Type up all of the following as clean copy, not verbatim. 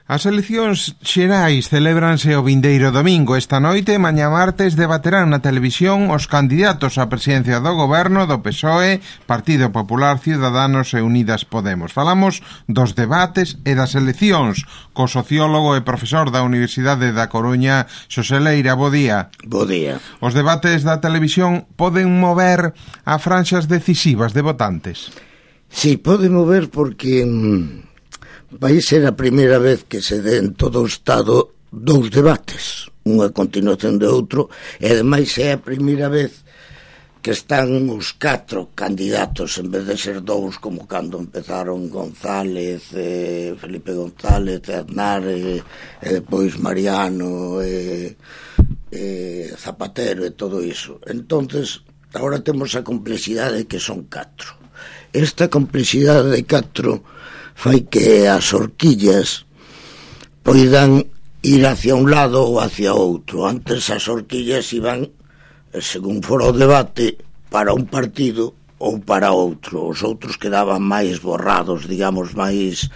As eleccións xerais celébranse o vindeiro domingo. Esta noite, mañá martes, debaterán na televisión os candidatos á presidencia do goberno do PSOE, Partido Popular, Ciudadanos e Unidas Podemos. Falamos dos debates e das eleccións co sociólogo e profesor da Universidade da Coruña, Xosé Leira. Bo día. Bo día. Os debates da televisión poden mover a franxas decisivas de votantes? Sí, poden mover porque vai ser a primeira vez que se dé en todo o Estado dous debates, unha continuación de outro, e ademais é a primeira vez que están os 4 candidatos en vez de ser dous como cando empezaron González, Felipe González, Aznar e depois Mariano e Zapatero e todo iso. Entonces, agora temos a complexidade que son 4. Esta complexidade de 4 fai que as horquillas poidan ir hacia un lado ou hacia outro. Antes as horquillas iban, según fora o debate, para un partido ou para outro. Os outros quedaban máis borrados, digamos, máis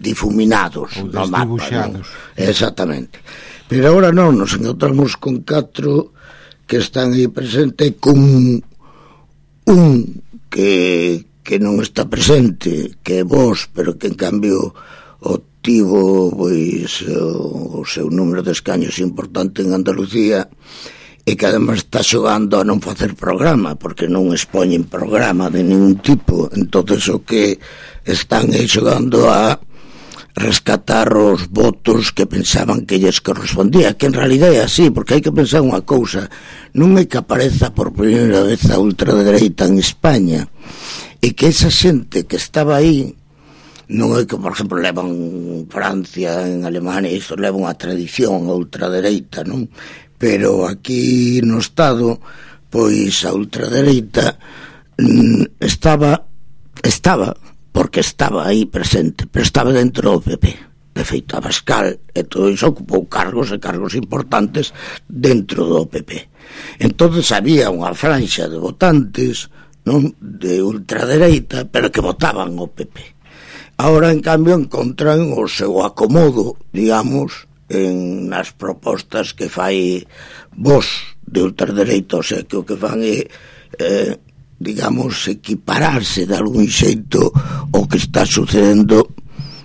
difuminados no mapa, non? Exactamente. Pero agora non, nos encontramos con 4 que están aí presente, con un que non está presente, que é Vox, pero que en cambio obtivo pois o seu número de escaños importante en Andalucía, e que además está xogando a non facer programa, porque non expoñen programa de ningún tipo. Entonces o que están é xogando a rescatar os votos que pensaban que lles correspondía, que en realidad é así, porque hai que pensar unha cousa: non é que apareza por primeira vez a ultradereita en España, e que esa xente que estaba aí non é que, por exemplo, levan Francia, en Alemania, isto leva unha tradición a ultradereita, non? Pero aquí no Estado, pois a ultradereita estaba porque estaba aí presente, pero estaba dentro do PP. De feito, Abascal e todo iso ocupou cargos e cargos importantes dentro do PP. Entonces había unha franxa de votantes, non, de ultradereita, pero que votaban o PP. Ahora, en cambio, encontran o seu acomodo, digamos, nas propostas que fai Vox de ultradereita, o sea, que o que fan é digamos, equipararse de algún xeito o que está sucedendo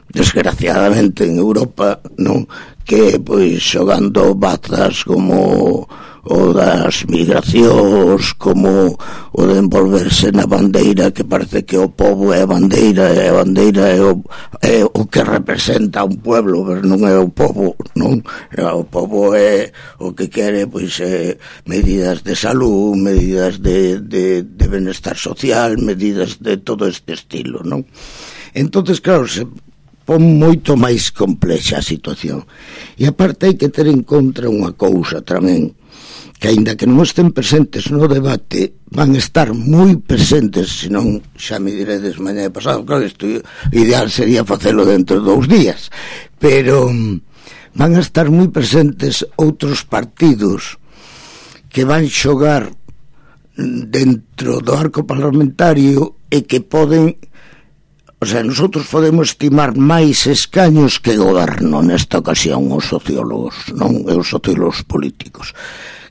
desgraciadamente en Europa, non? Que, pois, xogando bazas como o das migracións, como o de envolverse na bandeira, que parece que o pobo é a bandeira, e a bandeira é o que representa un pueblo, pero non é o pobo, non? O pobo é o que quere, pois, medidas de salud, medidas de benestar social, medidas de todo este estilo, non? Entonces, claro, se pon moito máis complexa a situación. E aparte hai que ter en contra unha cousa tamén, que aínda que non estén presentes no debate, van estar moi presentes, senón xa me diredes mañá de pasado. Claro, isto ideal sería facelo dentro de 2 días, pero van a estar moi presentes outros partidos que van xogar dentro do arco parlamentario e que poden, o sea, nosotros podemos estimar máis escaños que goberno nesta ocasión, os sociólogos, non? E os sociólogos políticos.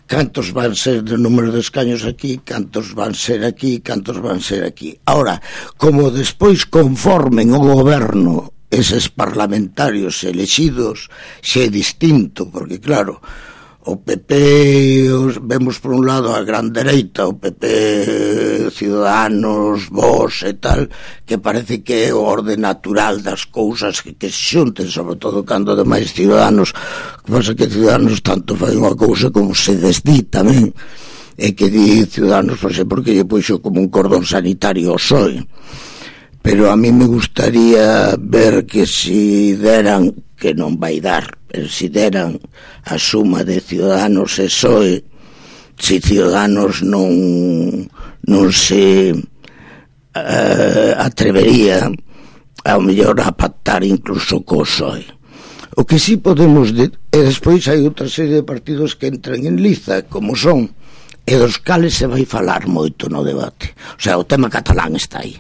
Cantos van ser de número de escaños aquí, cantos van ser aquí, cantos van ser aquí. Ahora, como despois conformen o goberno eses parlamentarios elexidos, xe é distinto, porque claro, o PP vemos por un lado a gran dereita, o PP, Ciudadanos, Vox e tal, que parece que é o orde natural das cousas que se xunten, sobre todo cando ademais Ciudadanos, que pasa que Ciudadanos tanto fai unha cousa como se desdí tamén, e que di Ciudadanos, porque lle puxo como un cordón sanitario ao PSOE. Pero a mí me gustaría ver que si deran, que non vai dar, pero si deran a suma de Ciudadanos e PSOE, si Ciudadanos non se atrevería ao mellor a pactar incluso co PSOE. O que si podemos e despois hai outra serie de partidos que entran en liza, como son, e dos cales se vai falar moito no debate. O sea, o tema catalán está aí,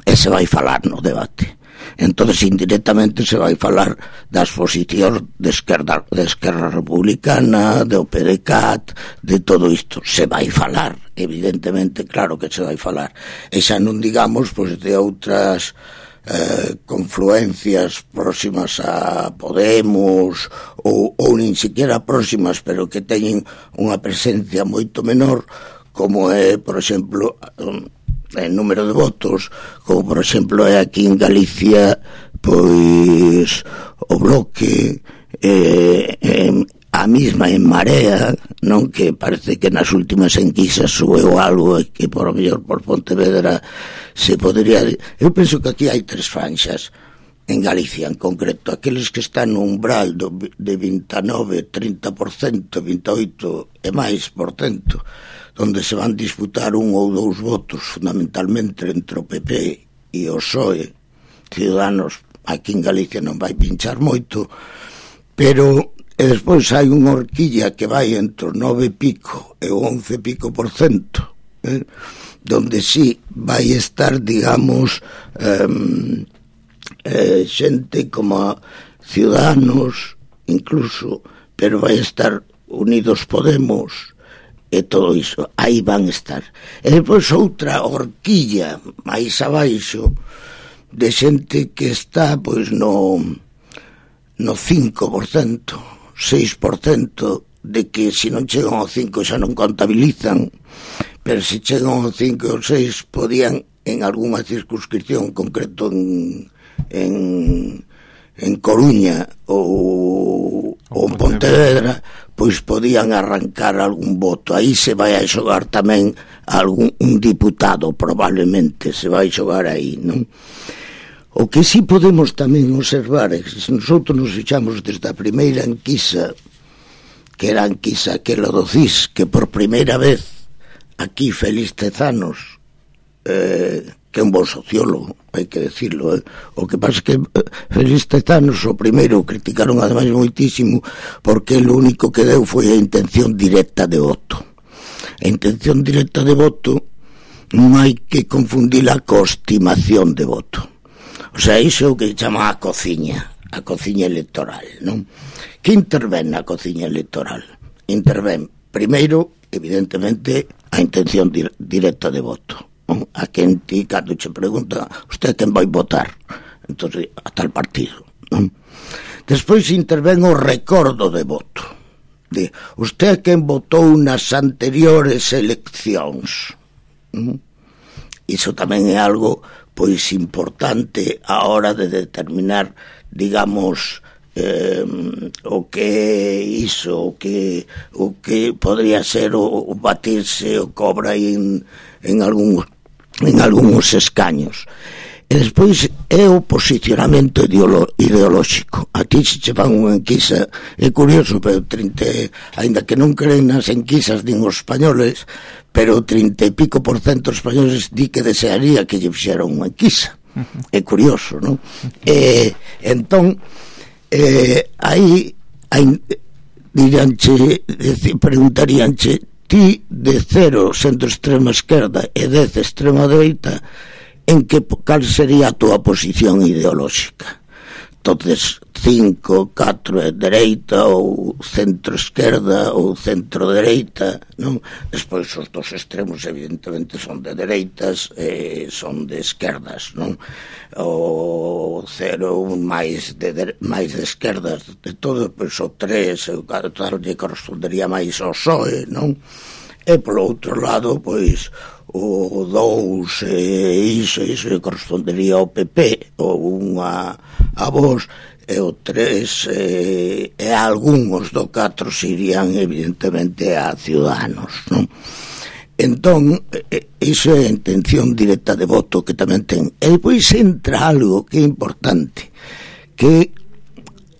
e se vai falar no debate. entonces indirectamente se vai falar das posicións de Esquerra Republicana, de OPDCAT, de todo isto. Se vai falar, evidentemente, claro que se vai falar. E xa non digamos pois de outras confluencias próximas a Podemos ou nin siquiera próximas, pero que teñen unha presencia moito menor, como é, por exemplo, en número de votos, como por exemplo é aquí en Galicia, pois o Bloque, a mesma en Marea, non, que parece que nas últimas enquisas subeu algo e que por o mellor por Pontevedra se podría... Eu penso que aquí hai tres franxas en Galicia, en concreto, aqueles que están no umbral de 29, 30%, 28 e máis por cento, onde se van disputar un ou dous votos fundamentalmente entre o PP e o PSOE. Ciudadanos aquí en Galicia non vai pinchar moito, pero e despois hai unha horquilla que vai entre o 9 e pico e o 11 pico por cento, donde sí vai estar, digamos, xente como Ciudadanos incluso, pero vai estar Unidos Podemos e todo iso, aí van estar. E depois outra horquilla máis abaixo de xente que está pois no 5%, 6%, de que se non chegan ao 5 xa non contabilizan, pero se chegan ao 5 ou 6 podían en algunha circunscripción concreto en Coruña ou en Pontevedra, pois podían arrancar algún voto. Aí se vai a xogar tamén un diputado, probablemente se vai xogar aí, non? O que sí podemos tamén observar é que se nosotros nos fixamos desde a primeira enquisa, que era a enquisa aquela do CIS, que por primeira vez aquí Félix Tezanos, que é un bon sociólogo, hai que decirlo, o que pasa é que Félix Tezanos o primeiro criticaron ademais moitísimo porque o único que deu foi a intención directa de voto. A intención directa de voto non hai que confundila co estimación de voto. O sea, iso é o que chama a cociña electoral, non? Que intervén na cociña electoral? Intervén, primeiro, evidentemente, a intención directa de voto, non? A quen ti, cando che pregunta usted quen vai votar, entón, a tal partido, non? Despois intervén o recordo de voto, de usted quen votou nas anteriores eleccións, non? Iso tamén é algo pois importante a hora de determinar, digamos, o que iso, o que podría ser o batirse o cobra en algúns escaños. E despois é o posicionamento ideolóxico. Aquí se che fan unha enquisa, é curioso, pero ainda que non creen nas enquisas nin os españoles, pero 30 e pico por cento dos españoles di que desearía que lle fixeran unha enquisa. É curioso, non? Entón, aí preguntaríanche, ti de 0 sendo extrema esquerda e 10 extrema dereita, cal sería a túa posición ideolóxica? Entonces 5, 4 é dereita ou centro-esquerda ou centro-dereita, non? Despois os dos extremos evidentemente son de dereitas e son de esquerdas, non? O 0 máis de esquerdas de todo, pois o 3 o 4 lle correspondería máis ao PSOE, non? E polo outro lado, pois o 2 iso correspondería ao PP ou unha a Vox, e o 3 e algúns do 4 se irían evidentemente a Ciudadanos, non? Entón, iso é a intención directa de voto que tamén ten. E depois entra algo que é importante, que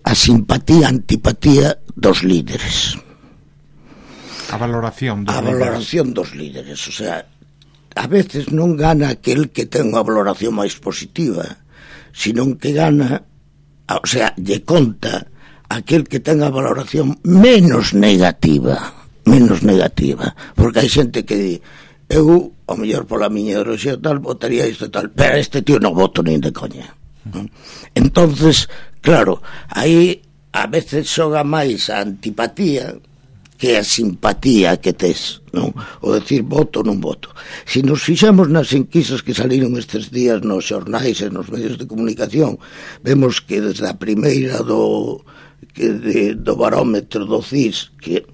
a simpatía-antipatía dos líderes. A valoración dos líderes. O sea, a veces non gana aquel que ten unha valoración máis positiva, senón que gana, o sea, lle conta aquel que ten a valoración menos negativa, porque hai xente que di, eu, ao mellor pola miña ideoloxía tal, votaría isto tal, pero este tío non voto nin de coña. Entonces, claro, aí a veces xoga máis a antipatía que a simpatía que tes, non? O decir voto ou non voto. Se nos fixamos nas enquisas que saliron estes días nos xornais e nos medios de comunicación, vemos que desde a primeira do barómetro do CIS, que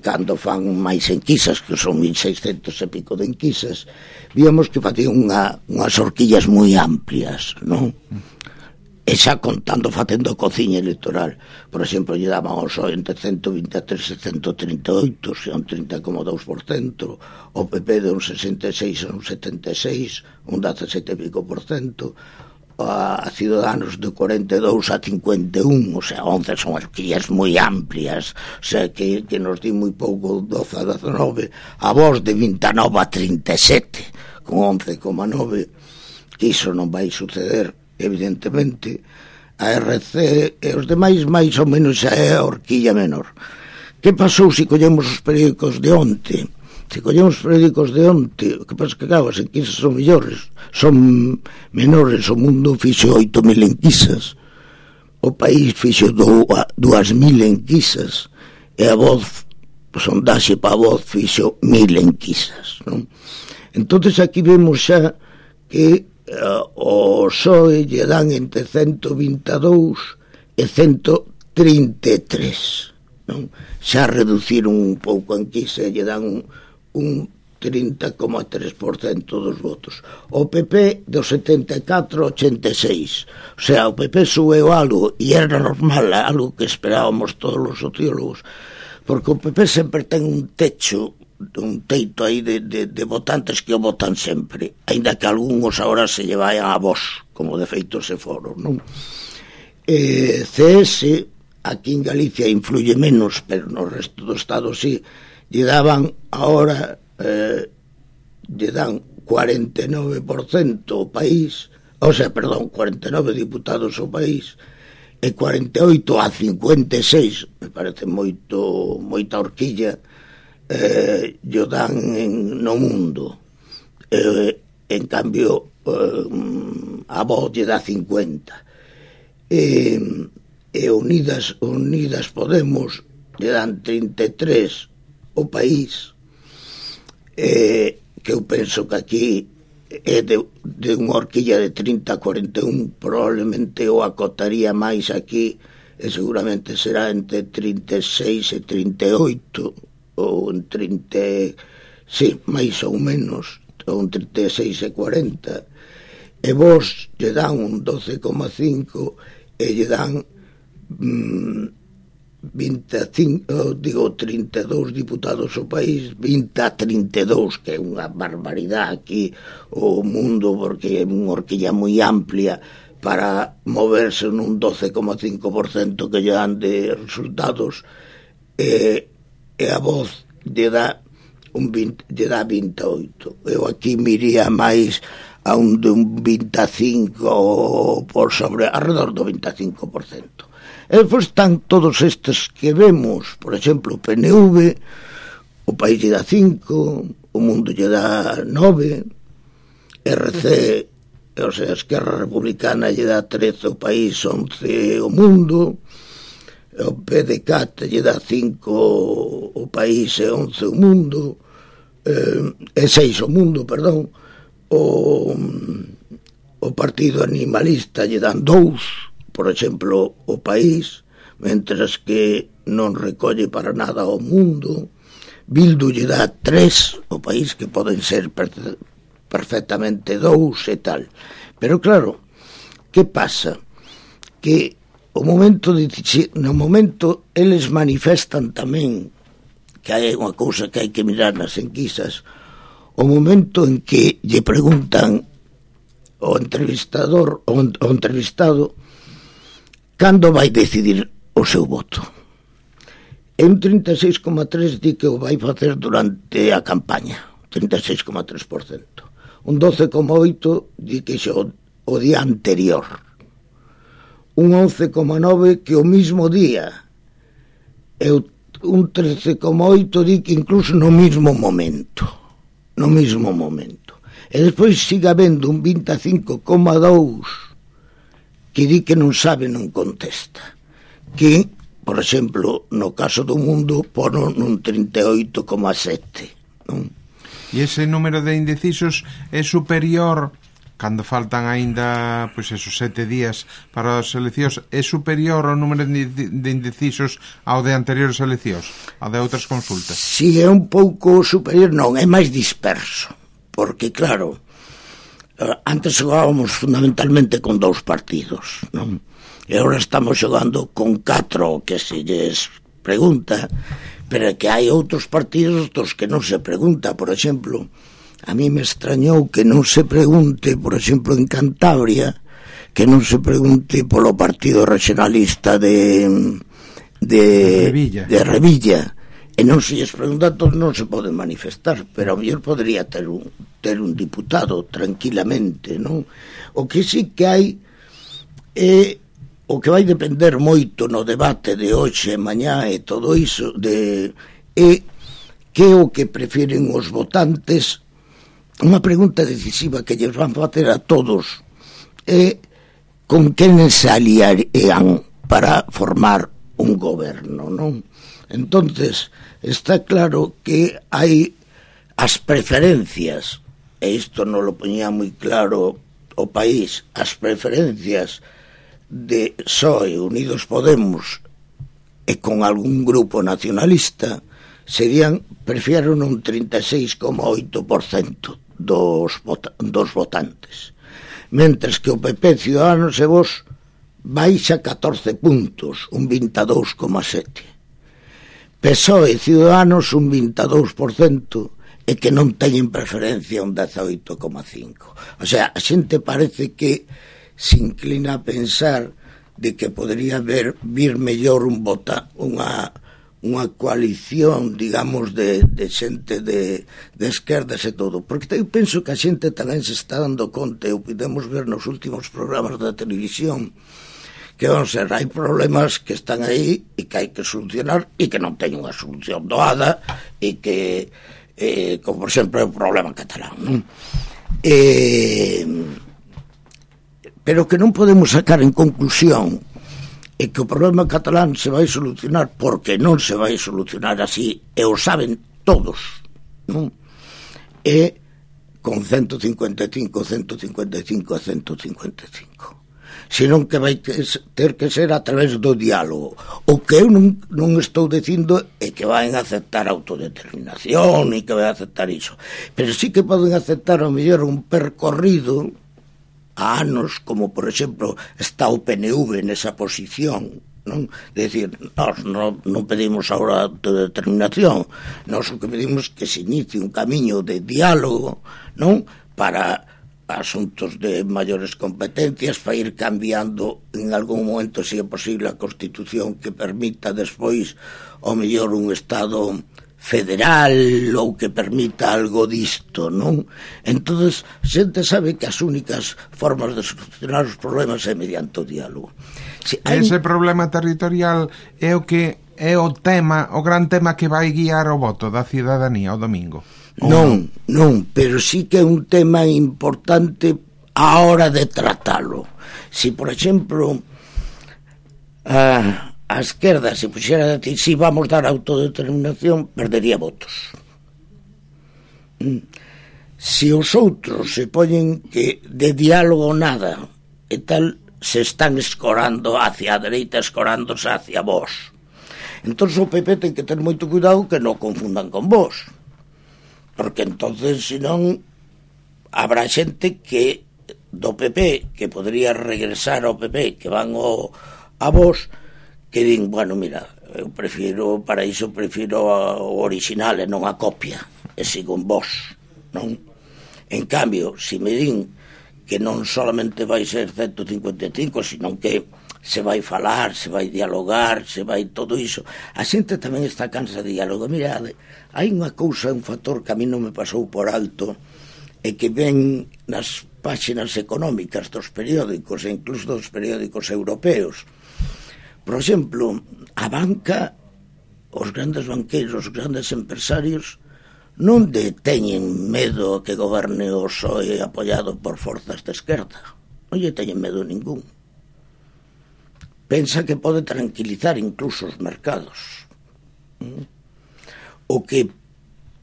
cando fan máis enquisas, que son 1600 e pico de enquisas, víamos que facían unhas horquillas moi amplias, non? E xa contando, facendo cociña electoral. Por exemplo, lle daban ao PSOE entre 123 e 138, xa un 30,2%, o PP de un 66 a un 76, un 17 e pico por cento, a Ciudadanos de 42 a 51, o sea, 11 son horquillas moi amplias, o sea, que nos di moi pouco, 12 a 19, a Vox de 29 a 37, con 11,9, que iso non vai suceder, evidentemente. A RC e os demais máis ou menos xa é a horquilla menor. Que pasou se collemos os periódicos de onte? Se collemos os periódicos de onte, o que pasa que claro, as enquisas son mellores, son menores. O Mundo fixo 8.000 enquisas, o País fixo 2.000 enquisas, e a Voz, o sondaxe para a Voz fixo 1.000 enquisas, non? Entonces aquí vemos xa que o PSOE lle dan entre 122 e 133, non? Xa reduciron un pouco a enquisa e lle dan un 30,3% dos votos. O PP do 74 ao 86, o sea, o PP sueu algo, e era normal, algo que esperábamos todos os sociólogos, porque o PP sempre ten un teito aí de votantes que o votan sempre, ainda que algúns agora se lle vayan a Vox, como de feito se foron, non? CS aquí en Galicia influye menos, pero no resto do Estado sí, lle daban agora lle dan 49% o País, o sea, perdón, 49 diputados ao País, e 48 a 56, me parece moita horquilla, lle dan no Mundo, en cambio a Voz lle dá 50, e Unidas Podemos lle dan 33 o País, que eu penso que aquí é de unha horquilla de 30 a 41, probablemente o acotaría máis aquí, e seguramente será entre 36 e 38, ou en 30, sí, máis ou menos, ou en 36 e 40, e Vos lle dan un 12,5 e lle dan 32 diputados ao País, 20 a 32, que é unha barbaridade aquí o Mundo, porque é unha horquilla moi amplia para moverse nun 12,5% que lle dan de resultados, e a Voz lle dá 28. Eu aquí miría máis a un 25 por sobre, alrededor do 25%. E depois están todos estes que vemos, por exemplo, o PNV, o País lle dá 5, o Mundo lle dá 9, RC, o sea, a Esquerra Republicana lle dá 13, o País 11, o Mundo, o PDeCAT lle dá 5 o País e 11 o Mundo, e 6 o Mundo, perdón, o Partido Animalista lle dan 2, por exemplo, o País, mentras que non recolle para nada o Mundo. Bildu lle dá 3 o País, que poden ser perfectamente 2 e tal. Pero claro, que pasa? Que no momento eles manifestan tamén, que hai unha cousa que hai que mirar nas enquisas, o momento en que lle preguntan ao entrevistado cando vai decidir o seu voto. E un 36,3 di que o vai facer durante a campaña, 36,3%. Un 12,8 di que xa o día anterior. Un 11,9 que o mismo día, e un 13,8 di que incluso no mismo momento, e despois siga habendo un 25,2 que di que non sabe non contesta, que, por exemplo, no caso do Mundo pono nun 38,7, non? E ese número de indecisos é superior, cando faltan aínda, pois esos 7 días para as eleccións, é superior ao número de indecisos ao de anteriores eleccións, ao de outras consultas? Si é un pouco superior, non, é máis disperso, porque claro, antes xogábamos fundamentalmente con 2 partidos, non? E agora estamos xogando con 4, que se lles pregunta, pero que hai outros partidos dos que non se pregunta. Por exemplo, a mí me extrañou que non se pregunte, por exemplo, en Cantabria, que non se pregunte polo partido regionalista de Revilla, e non se lles pregunta, todos non se poden manifestar, pero a mellor podría ter un diputado tranquilamente, non? O que sí que hai é o que vai depender moito no debate de hoxe e mañá e todo iso é que o que prefiren os votantes. Unha pregunta decisiva que lles van facer a todos é con quen se aliarían para formar un goberno, non? Entonces está claro que hai as preferencias, e isto non lo poñía moi claro o País, as preferencias de PSOE, Unidos Podemos e con algún grupo nacionalista serían, prefieren un 36,8% dos votantes, mentres que o PP, Ciudadanos e Vox baixa 14 puntos, un 22,7%. PSOE e Ciudadanos un 22% e que non teñen preferencia un 18,5%. O sea, a xente parece que se inclina a pensar de que podría vir mellor unha coalición, digamos, de xente de esquerdas e todo, porque eu penso que a xente tamén se está dando conta, e o podemos ver nos últimos programas da televisión, que vamos a ser, hai problemas que están aí e que hai que solucionar e que non teñen unha solución doada e que, como por exemplo é o problema catalán, non? Pero que non podemos sacar en conclusión é que o problema catalán se vai solucionar, porque non se vai solucionar así, e o saben todos, non? É con 155, 155 e 155. Senón que vai ter que ser a través do diálogo. O que eu non estou dicindo é que van aceptar autodeterminación e que van aceptar iso, pero sí que poden aceptar ao mellor un percorrido a anos, como por exemplo está o PNV nesa posición, non? De decir, nós non pedimos agora autodeterminación, nós o que pedimos que se inicie un camiño de diálogo, non? Para asuntos de maiores competencias, para ir cambiando en algún momento, se é posible, a Constitución que permita despois ao mellor un Estado federal ou que permita algo disto, non? Entonces, xente sabe que as únicas formas de solucionar os problemas é mediante o diálogo. Ese problema territorial é o que é o gran tema que vai guiar o voto da cidadanía o domingo. Non, pero sí que é un tema importante a hora de tratalo. Si, por exemplo, a esquerda se puxera a decir si vamos dar autodeterminación, perdería votos. Si os outros se poñen que de diálogo nada e tal, se están escorando hacia a dereita, escorándose hacia vos. Entón o PP ten que ter moito cuidado que non confundan con vos, porque entonces senón habrá xente que do PP que podría regresar ao PP, que van a vos, que din, bueno, mira, eu prefiro, para iso prefiro o original e non a copia, e sigo en vos, non? En cambio, se me din que non solamente vai ser 155, sino que se vai falar, se vai dialogar, se vai todo iso, a xente tamén está cansa de diálogo. Mira, hai unha cousa, un factor que a mí non me pasou por alto, e que ven nas páxinas económicas dos periódicos, e incluso dos periódicos europeos. Por exemplo, a banca, os grandes banqueiros, os grandes empresarios, non teñen medo que goberne o PSOE apoiado por forzas de esquerda. Non lle teñen medo ningún. pensa que pode tranquilizar incluso os mercados. O que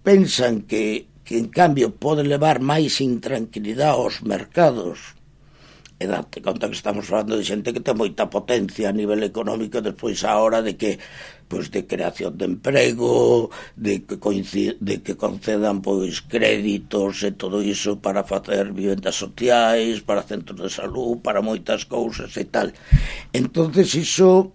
pensan que en cambio pode levar máis intranquilidade aos mercados, e date conta que estamos falando de xente que ten moita potencia a nivel económico, despois a hora de que de creación de emprego, de que concedan créditos e todo iso para facer vivendas sociais, para centros de salud, para moitas cousas e tal. Entonces iso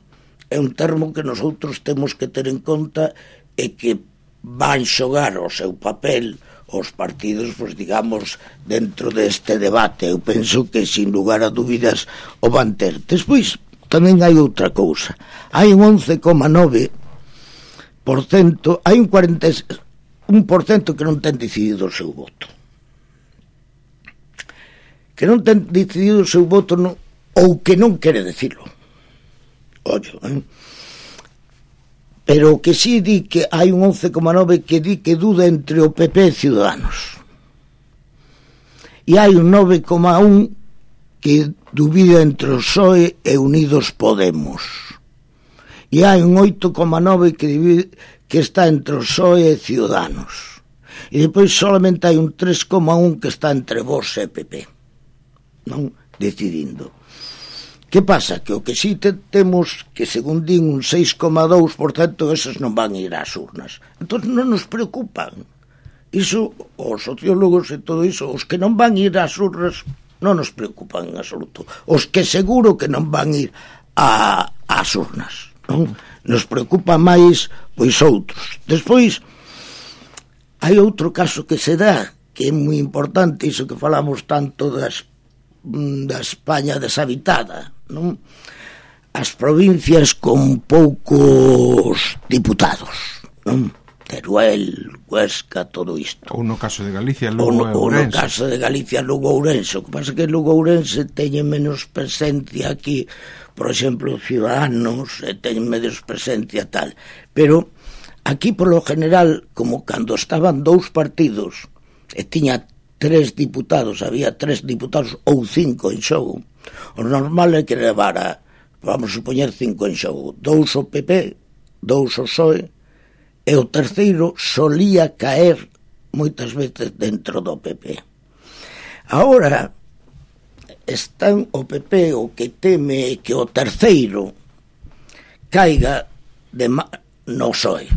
é un termo que nosotros temos que ter en conta e que van xogar o seu papel os partidos, digamos, dentro deste debate. Eu penso que, sin lugar a dúbidas, o van ter. Despois, tamén hai outra cousa. Hai un 11,9%, hai un 41% que non ten decidido o seu voto. Que non ten decidido o seu voto ou que non quere decirlo. Ollo, pero que sí di que hai un 11,9% que di que duda entre o PP e Ciudadanos. E hai un 9,1% que dubida entre o PSOE e Unidos Podemos. E hai un 8,9% que está entre o PSOE e Ciudadanos. E depois solamente hai un 3,1% que está entre Vox e PP. Non decidindo. Que pasa? Que o que si temos, que según din un 6,2%, esos non van ir ás urnas. Entón non nos preocupan. Iso, os sociólogos e todo iso, os que non van ir ás urnas non nos preocupan en absoluto. Os que seguro que non van ir ás urnas, non? Nos preocupa máis outros. Despois, hai outro caso que se dá, que é moi importante, iso que falamos tanto da España deshabitada, non? As provincias con poucos diputados, non? Teruel, Huesca, todo isto. Ou no caso de Galicia, Lugo e Ourense. Ou no caso de Galicia, Lugo e Ourense. O que pasa é que Lugo e Ourense teñen menos presencia aquí, por exemplo, Ciudadanos, teñen menos presencia tal. Pero aquí, polo general, como cando estaban dous partidos e tiña 3 diputados, había 3 diputados ou 5 en xogo, o normal é que levara, vamos supoñer, 5 en xogo, 2 o PP, 2 o PSOE, e o terceiro solía caer moitas veces dentro do PP. Agora están o PP o que teme que o terceiro caiga no PSOE.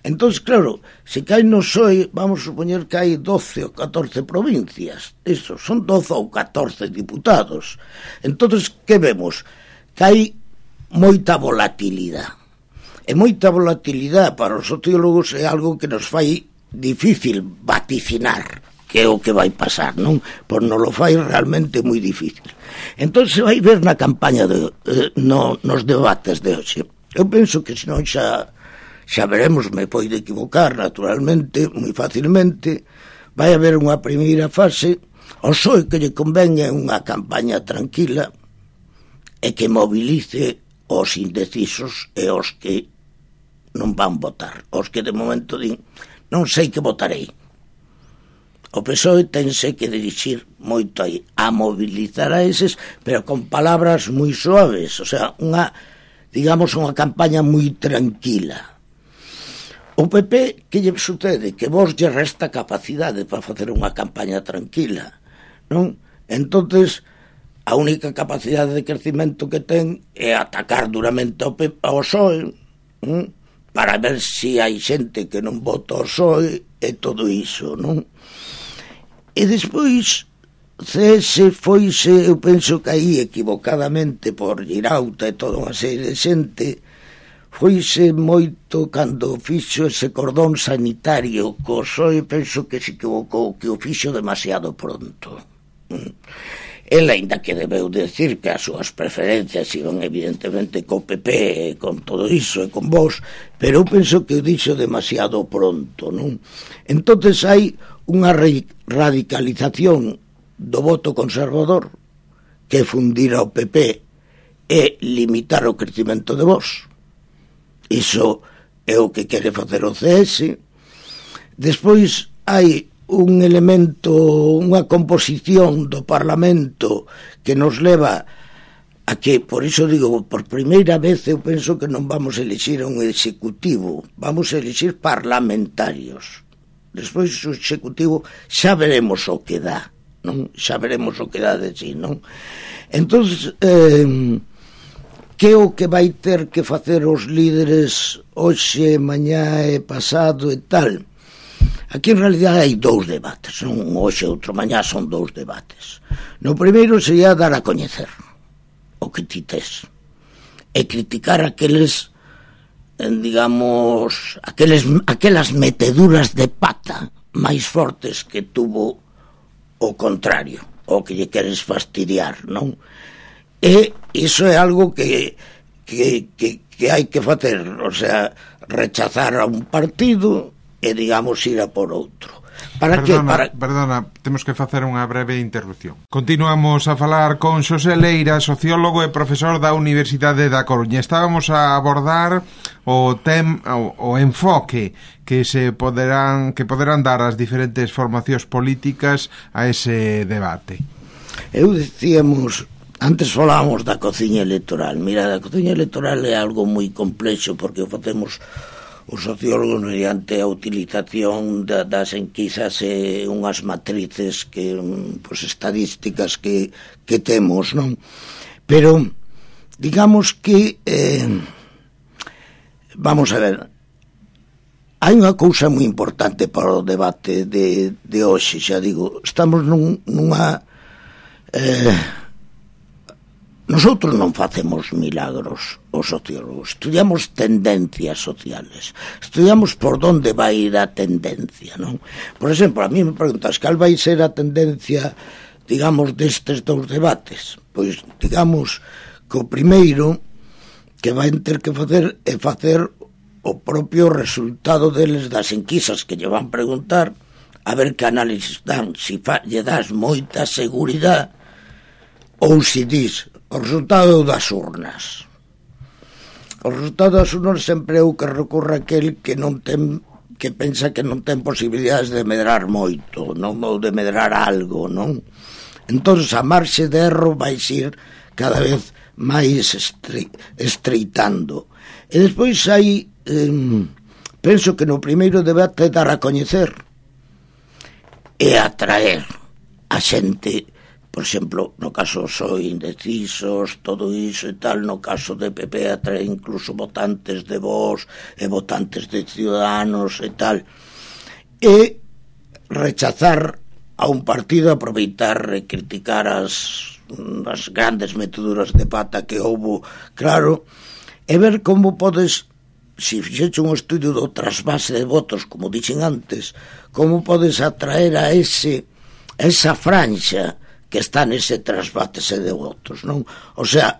Entón, claro, se cae no PSOE, vamos supoñer que hai 12 ou 14 provincias. Iso, son 12 ou 14 diputados. Entón, que vemos? Que hai moita volatilidade. E moita volatilidade para os sociólogos é algo que nos fai difícil vaticinar que é o que vai pasar, non? Pois non lo fai realmente moi difícil. Entón se vai ver na campaña nos debates de hoxe. Eu penso que senón xa veremos, me poido equivocar naturalmente, moi facilmente. Vai haber unha primeira fase, o PSOE que lle convén é unha campaña tranquila e que movilice os indecisos e os que non van votar, os que de momento din non sei que votarei. O PSOE tense que dirixir moito aí a mobilizar a eses, pero con palabras moi suaves, o sea, unha campaña moi tranquila. O PP, que lle sucede? Que vos lle resta capacidade para facer unha campaña tranquila, non? Entonces, a única capacidade de crecimento que ten é atacar duramente ao PSOE, para ver se hai xente que non vota ao PSOE e todo iso, non? E despois CS foise, eu penso que aí equivocadamente por Girauta e toda unha serie de xente, foise moito cando fixo ese cordón sanitario co PSOE, penso que se equivocou, que o fixo demasiado pronto. El, ainda que debeu decir que as súas preferencias iban evidentemente co PP, con todo iso e con vos, pero eu penso que o dixo demasiado pronto, non? Entonces hai unha radicalización do voto conservador que fundir ao PP e limitar o crecimento de vos. Iso é o que quere facer o CS. Despois hai un elemento, unha composición do Parlamento que nos leva Aquí, por iso digo, por primeira vez eu penso que non vamos a elixir un executivo, vamos a elixir parlamentarios. Despois o executivo xa veremos o que dá, non? Xa veremos o que dá de si, non? Entonces, que é o que vai ter que facer os líderes hoxe, mañá e pasado e tal? Aquí en realidad hai dous debates, non hoxe outro mañá, son dous debates. No primeiro sería dar a coñecer o que ti tes e criticar aqueles, digamos, aquelas meteduras de pata máis fortes que tuvo o contrario, o que lle queres fastidiar, non? E iso é algo que hai que facer, o sea, rechazar a un partido e, digamos, ir a por outro. Perdona, temos que facer unha breve interrupción. Continuamos a falar con Xosé Leira, sociólogo e profesor da Universidade da Coruña. Estábamos a abordar o enfoque que poderán dar as diferentes formacións políticas a ese debate. Eu dicíamos, antes falábamos da cociña electoral. Mira, a cociña electoral é algo moi complexo porque o facemos os sociólogos mediante a utilización das enquisas e unhas matrices que, pues, estadísticas que temos, non? Pero digamos que vamos a ver, hai unha cousa moi importante para o debate de hoxe, xa digo, estamos nunha nosotros non facemos milagros, os sociólogos, estudiamos tendencias sociales, estudiamos por donde vai ir a tendencia, non? Por exemplo, a mí me preguntas cal vai ser a tendencia, digamos, destes dous debates. Pois, digamos, que o primeiro que vai ter que facer é facer o propio resultado deles das enquisas que lle van preguntar, a ver que análisis dan, se lle das moita seguridade ou se dis o resultado das urnas. O resultado das urnas sempre é o que recorre aquel que non ten, que pensa que non ten posibilidades de medrar moito, non, ou de medrar algo, non? Entón, a marxe de erro vai ir cada vez máis estreitando. E despois hai, penso que no primeiro debate é dar a coñecer e atraer a xente. Por exemplo, no caso PSOE, indecisos, todo iso e tal, no caso de PP atrae incluso votantes de Vox e votantes de Ciudadanos e tal, e rechazar a un partido, aproveitar e criticar as grandes meteduras de pata que houbo, claro, e ver como podes, se fixeche un estudio do trasvase de votos, como dixen antes, como podes atraer a esa franxa que está nese trasvátese de votos, non? O sea,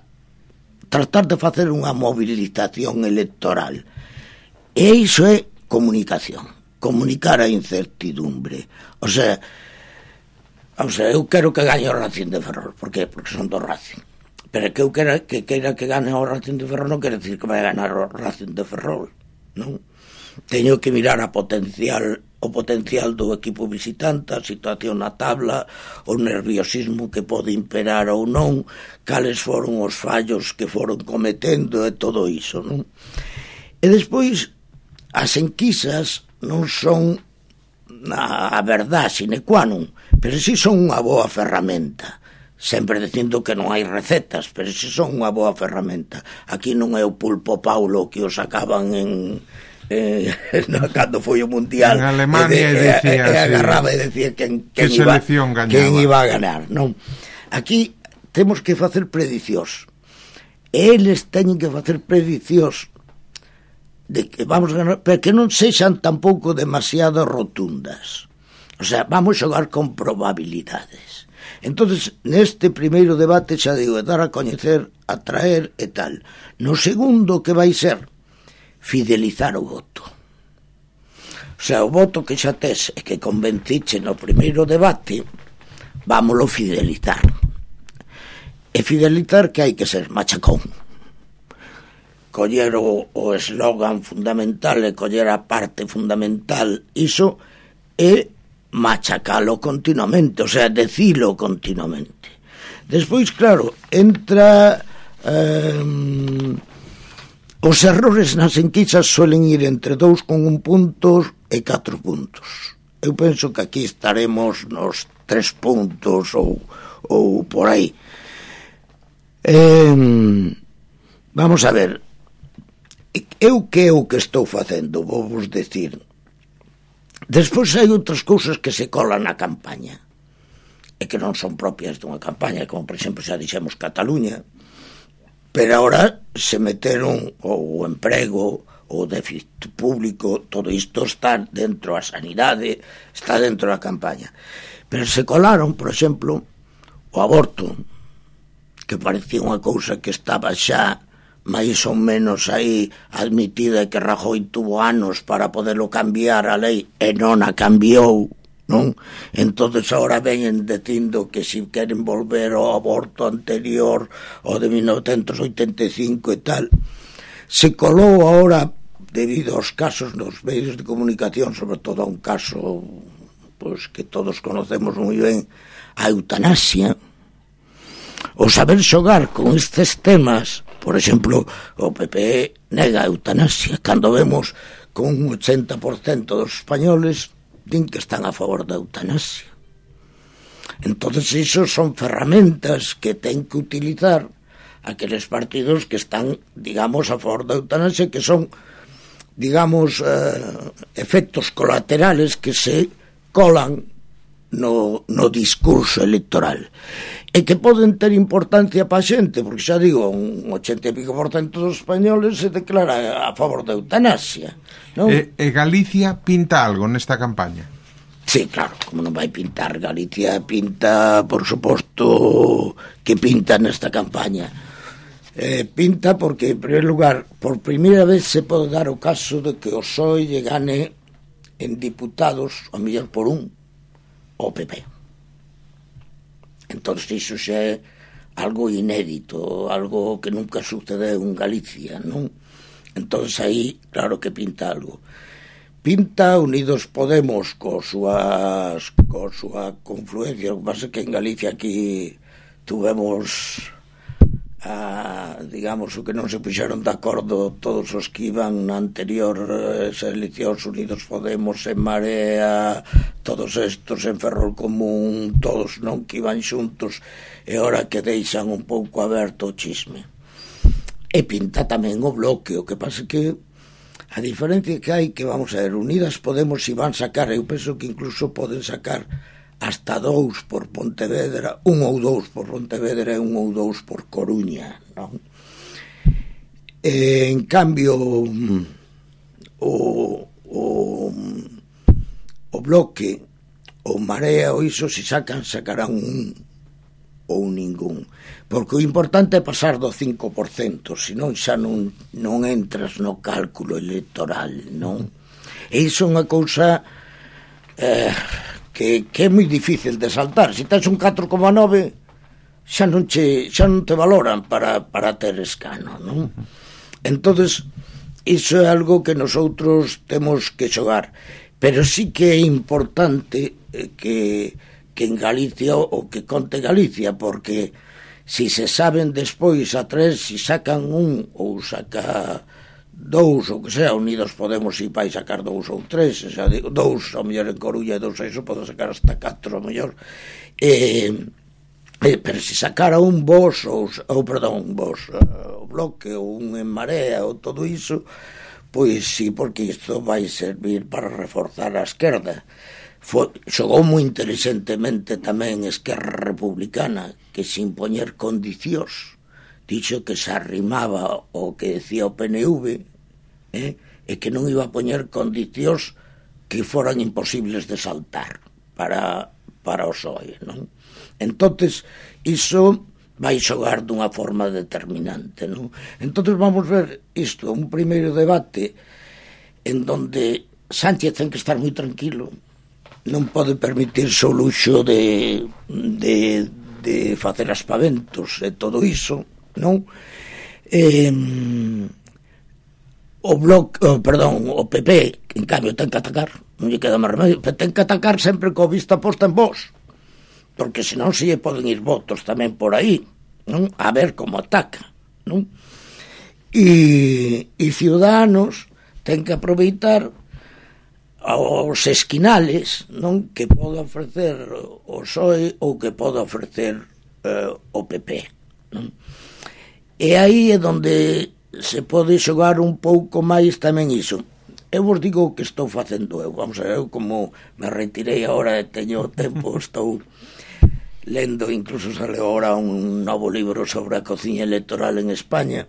tratar de facer unha movilización electoral. E iso é comunicación, comunicar a incertidumbre. O sea, eu quero que gañe o Racing de Ferrol. Por qué? Porque son do Racing. Pero que eu queira que gane o Racing de Ferrol non quere decir que vai ganar o Racing de Ferrol, non? Teño que mirar o potencial do equipo visitante, a situación na tabla, o nerviosismo que pode imperar ou non, cales foron os fallos que foron cometendo e todo iso, non? E despois, as enquisas non son a verdade sine qua non, pero si son unha boa ferramenta, sempre dicindo que non hai recetas, pero si son unha boa ferramenta. Aquí non é o Pulpo Paulo que os sacaban cando foi o Mundial en Alemania e agarraba e decía quen iba a ganar, non? Aquí temos que facer predicións, eles teñen que facer predicións de que vamos a ganar, pero que non sexan tampouco demasiado rotundas, o sea, vamos xogar con probabilidades. Entonces, neste primeiro debate xa digo, dar a coñecer, atraer e tal. No segundo, que vai ser fidelizar o voto. O sea, o voto que xa tes e que convenciche no primeiro debate, vámolo fidelizar. E fidelizar que hai que ser machacón. Coller o eslogan fundamental e coller a parte fundamental, iso, e machacalo continuamente, o sea, decilo continuamente. Despois, claro, entra os errores nas enquisas suelen ir entre 2,1 puntos e 4 puntos. Eu penso que aquí estaremos nos 3 puntos ou por aí. Vamos a ver, eu que é o que estou facendo, vou vos decir. Despois hai outras cousas que se colan na campaña e que non son propias dunha campaña, como por exemplo xa dixemos Cataluña, pero agora se meteron o emprego, o déficit público, todo isto está dentro da sanidade, está dentro da campaña. Pero se colaron, por exemplo, o aborto, que parecía unha cousa que estaba xa máis ou menos aí admitida, que Rajoy tuvo anos para poderlo cambiar a lei e non a cambiou, non? Entonces agora venen dicindo que si queren volver ao aborto anterior, o de 1985 e tal. Se colou agora, debido aos casos nos medios de comunicación, sobre todo a un caso pues, que todos conocemos moi ben, a eutanasia. O saber xogar con estes temas, por exemplo, o PP nega a eutanasia, cando vemos con un 80% dos españoles din que están a favor da eutanasia. Entonces, iso son ferramentas que ten que utilizar aqueles partidos que están, digamos, a favor da eutanasia, que son, digamos, efectos colaterales que se colan no discurso electoral e que poden ter importancia para a xente, porque xa digo, un 80 e pico % dos españoles se declara a favor da eutanasia, non? E Galicia pinta algo nesta campaña? Sí, claro, como non vai pintar. Galicia pinta, por suposto, que pinta nesta campaña. Pinta porque, en primer lugar, por primeira vez se pode dar o caso de que o PSOE lle gane en diputados, a mellor por un, o PP. Entón, iso xa é algo inédito, algo que nunca sucedeu en Galicia, non? Entón, aí, claro que pinta algo. Pinta Unidos Podemos coa súa confluencia. O que pasa é que en Galicia aquí tuvemos digamos, o que non se puxeron de acordo todos os que iban na anterior eleccións, Unidos Podemos, En Marea, todos estos, en Ferrol Común, todos non que iban xuntos, e ora que deixan un pouco aberto o chisme. E pinta tamén o Bloque. O que pasa que a diferencia que hai, que vamos a ver, Unidas Podemos iban sacar, eu penso que incluso poden sacar hasta 2 por Pontevedra, 1 ou 2 por Pontevedra e 1 ou 2 por Coruña, non? En cambio o Bloque, o Marea ou iso, se sacarán un ou ningún, porque o importante é pasar do 5%, senón xa non entras no cálculo electoral, non? E iso é unha cousa que é moi difícil de saltar. Se tens un 4,9 xa non te valoran para ter escano, non? Entonces, iso é algo que nosotros temos que xogar, pero sí que é importante que en Galicia o que conte Galicia, porque si se saben despois a 3, si sacan un ou saca 2, ou que sea, Unidos Podemos si vai sacar 2 ou 3, xa digo, 2 ao mellor en Coruña e 2 a iso pode sacar hasta 4 ao mellor, pero se sacara un Vos o Bloque ou un En Marea ou todo iso, pois sí, porque isto vai servir para reforzar a esquerda. Xogou moi inteligentemente tamén Esquerra Republicana, que sin poñer condicións dixo que se arrimaba o que decía o PNV, e que non iba a poñer condicións que foran imposibles de saltar para o PSOE, non? Entonces, iso vai xogar dunha forma determinante, non? Entonces vamos ver isto, un primeiro debate en donde Sánchez ten que estar moi tranquilo, non pode permitirse o luxo de facer aspaventos e todo iso, non? O PP, en cambio, ten que atacar, non lle queda máis remedio, pero ten que atacar sempre coa vista posta en Vos, porque senón se lle poden ir votos tamén por aí, non? A ver como ataca, non? E Ciudadanos ten que aproveitar os esquinales, non, que pode ofrecer o PSOE ou que pode ofrecer o PP, non? E aí é onde se pode xogar un pouco máis tamén iso. Eu vos digo o que estou facendo eu. Vamos a ver, eu como me retirei agora e teño tempo, estou lendo, incluso sale agora un novo libro sobre a cociña electoral en España.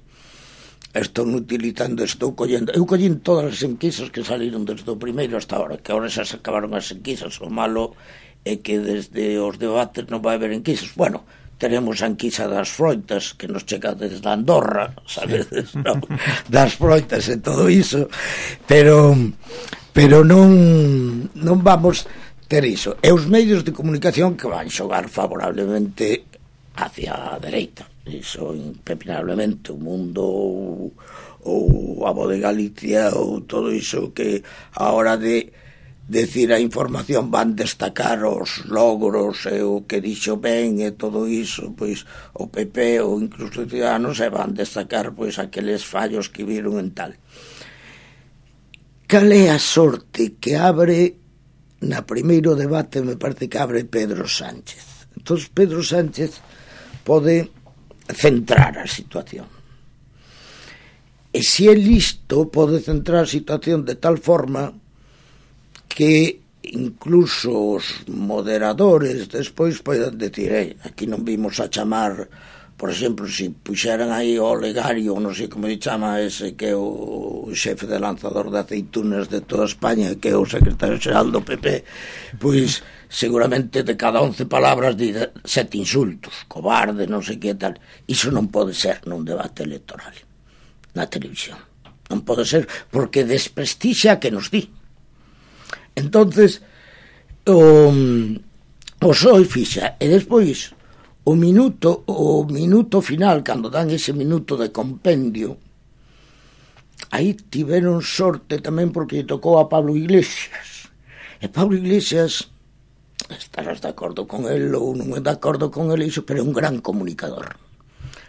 Estou utilizando, estou collendo. Eu collín todas as enquisas que saliron desde o primeiro hasta ahora, que agora xa se acabaron as enquisas. O malo é que desde os debates non vai haber enquisas. Bueno, teremos a enquisa das froitas que nos chega desde Andorra, sabedes, non? Das froitas e todo iso, pero non vamos ter iso. E os medios de comunicación que van xogar favorablemente hacia a dereita, iso impepinablemente. O Mundo ou a Voz de Galicia ou todo iso que a hora de decir a información van destacar os logros e o que dixo ben e todo iso, pois o PP ou incluso Ciudadanos e van destacar pois aqueles fallos que viron en tal. Cal é a sorte que abre na primeiro debate? Me parece que abre Pedro Sánchez. Entón Pedro Sánchez pode centrar a situación, e se é listo pode centrar a situación de tal forma que incluso os moderadores despois poden decir, aquí non vimos a chamar, por exemplo, se puxeran aí o Olegario, non sei como se chama ese que é o xefe de lanzador de aceitunas de toda España, que é o secretario xeral do PP, pois seguramente de cada 11 palabras di 7 insultos, cobarde, non sei que tal. Iso non pode ser nun debate electoral na televisión, non pode ser, porque desprestixa que nos di. Entonces o PSOE fixa, e despois o minuto final, cando dan ese minuto de compendio, aí tiveron sorte tamén porque tocou a Pablo Iglesias, e Pablo Iglesias, estarás de acordo con el ou non é de acordo con el iso, pero é un gran comunicador,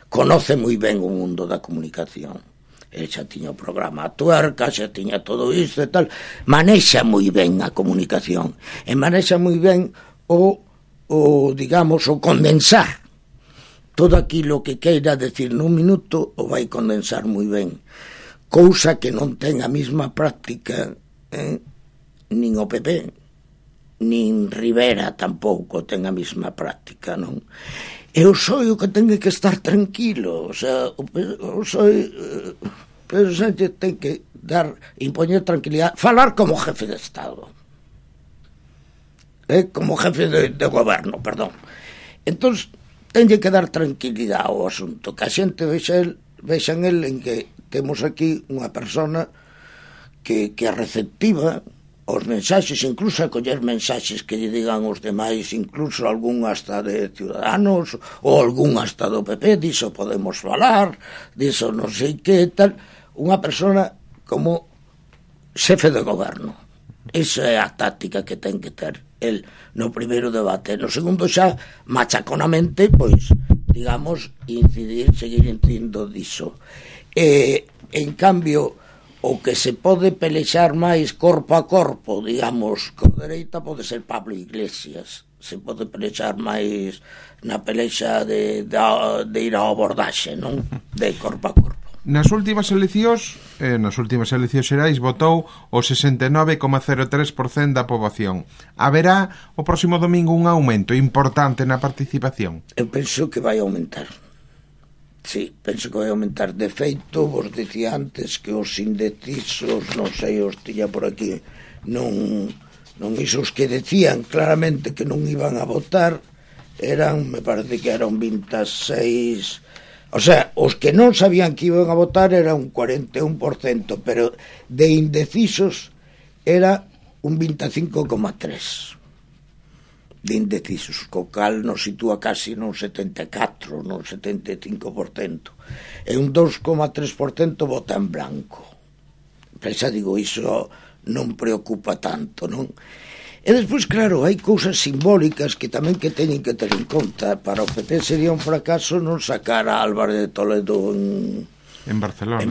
conoce moi ben o mundo da comunicación. Ele xa tiña o programa a Tuerca, xa tiña todo isto e tal, manexa moi ben a comunicación e manexa moi ben o digamos, o condensar todo aquilo que queira decir nun minuto, o vai condensar moi ben, cousa que non ten a mesma práctica nin o PP nin Rivera tampouco ten a mesma práctica, non? E o PSOE o que ten que estar tranquilo, o sea, o PSOE, Pedro Sánchez ten que impoñer tranquilidade, falar como jefe de Estado, como jefe de goberno, perdón. Entón, ten que dar tranquilidade ao asunto, que a xente vexan el en que temos aquí unha persona que é receptiva os mensaxes, incluso a coller mensaxes que lle digan os demais, incluso algún hasta de Ciudadanos ou algún hasta do PP, diso podemos falar, diso non sei que tal, unha persona como xefe de goberno. Esa é a táctica que ten que ter el no primeiro debate. No segundo xa, machaconamente, pois, digamos, seguir incidindo diso. En cambio, o que se pode pelexar máis corpo a corpo, digamos, con dereita pode ser Pablo Iglesias. Se pode pelexar máis na pelexa de ir ao abordaxe, non? De corpo a corpo. Nas últimas eleccións xerais votou o 69,03% da poboación. Haberá o próximo domingo un aumento importante na participación? Eu penso que vai aumentar. Sí, penso que vai aumentar. De feito, vos dicía antes que os indecisos, non sei, os tiña por aquí, non isos que decían claramente que non iban a votar, me parece que eran 26... O sea, os que non sabían que iban a votar era un 41%, pero de indecisos era un 25,3% de indecisos, co cal nos sitúa casi non 74%, non 75%, e un 2,3% vota en blanco. Pero xa digo, iso non preocupa tanto, non? E despois, claro, hai cousas simbólicas que tamén que teñen que ter en conta. Para o PP sería un fracaso non sacar a Álvarez de Toledo en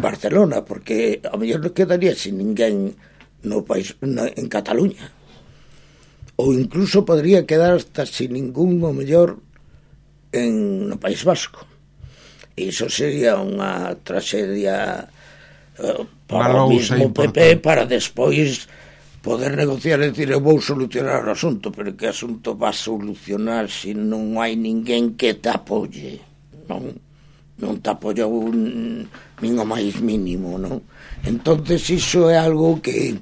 Barcelona, porque ao mellor non quedaría sin ninguén no país, en Cataluña, ou incluso podría quedar hasta sin ningún, ao mellor, no País Vasco. Iso sería unha traxedia para o mismo PP, para despois poder negociar e dicir, eu vou solucionar o asunto, pero que asunto va a solucionar se non hai ninguén que te apoye? Non te apoya nin o máis mínimo, non? Entonces iso é algo que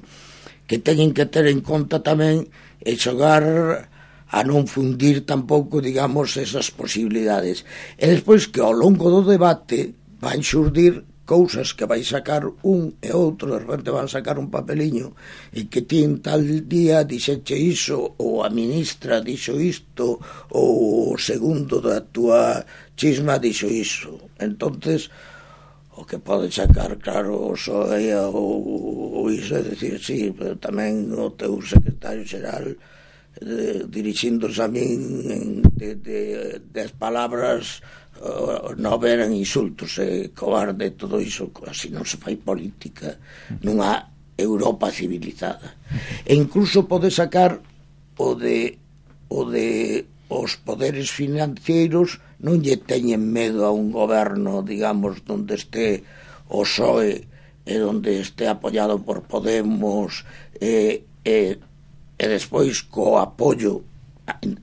teñen que ter en conta tamén, e xogar a non fundir tampouco, digamos, esas posibilidades. E despois que ao longo do debate van xurdir cousas que vai sacar un e outro, de repente van sacar un papeliño e que ti en tal día dixeche iso, ou a ministra dixo isto, ou o segundo da túa chisma dixo iso. Entonces o que pode sacar, claro, o PSOE ou iso é dicir, sí, pero tamén o teu secretario xeral dirixíndose a min de palabras non eran insultos, cobarde, todo iso. Así non se fai política nunha Europa civilizada. E incluso pode sacar o de os poderes financeiros non lle teñen medo a un goberno, digamos, onde este o PSOE e onde este apoiado por Podemos e despois co apoio,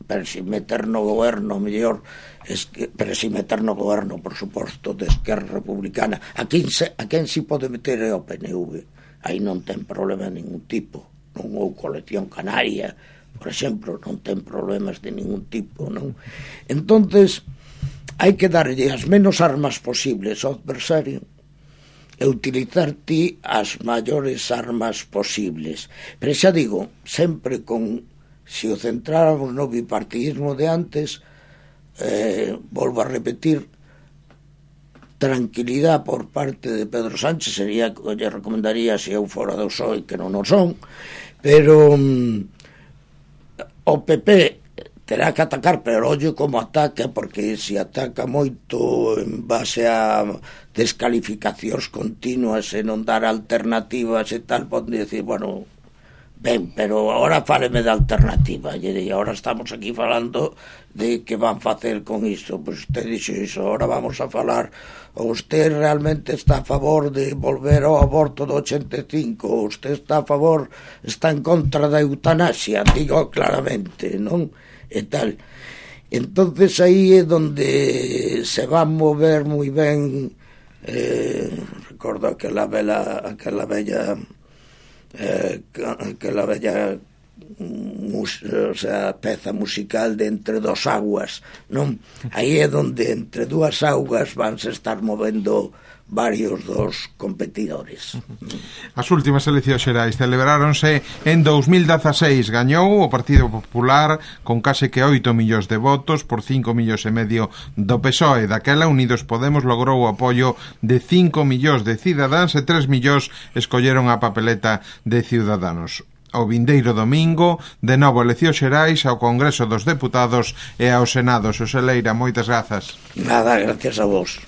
pero sin meter no goberno, mellor, pero sin meter no goberno, por suposto, de Esquerra Republicana. A quen si pode meter é o PNV. Aí non ten problema de ningún tipo, non? Ou Coalición Canaria, por exemplo, non ten problemas de ningún tipo, non? Entonces hai que darlle as menos armas posibles ao adversario e utilizar ti as maiores armas posibles. Pero xa digo, sempre con, se o centráramos no bipartidismo de antes, volvo a repetir, tranquilidade por parte de Pedro Sánchez sería que lle recomendaría se eu fora do PSOE, que non o son, pero o PP terá que atacar, pero ollo como ataca, porque se ataca moito en base a descalificacións continuas e non dar alternativas e tal, pode dicir, bueno, ben, pero agora fáleme de alternativa, e agora estamos aquí falando de que van facer con iso. Pois usted dixo iso, agora vamos a falar, ou usted realmente está a favor de volver ao aborto do 85, ou usted está a favor, está en contra da eutanasia, digo claramente, non? E tal. Entonces aí é donde se va a mover moi ben, recordo aquela bella peza musical de Entre dos Aguas, non? Aí é donde entre dúas augas vanse estar movendo varios dos competidores. As últimas eleccións xerais celebráronse en 2016. Gañou o Partido Popular con case que 8 millóns de votos por 5 millóns e medio do PSOE. Daquela Unidos Podemos logrou o apoio de 5 millóns de cidadáns e 3 millóns escolleron a papeleta de Ciudadanos. O vindeiro domingo, de novo eleccións xerais ao Congreso dos Deputados e ao Senado. Xosé Leira, moitas grazas. Nada, gracias a vos.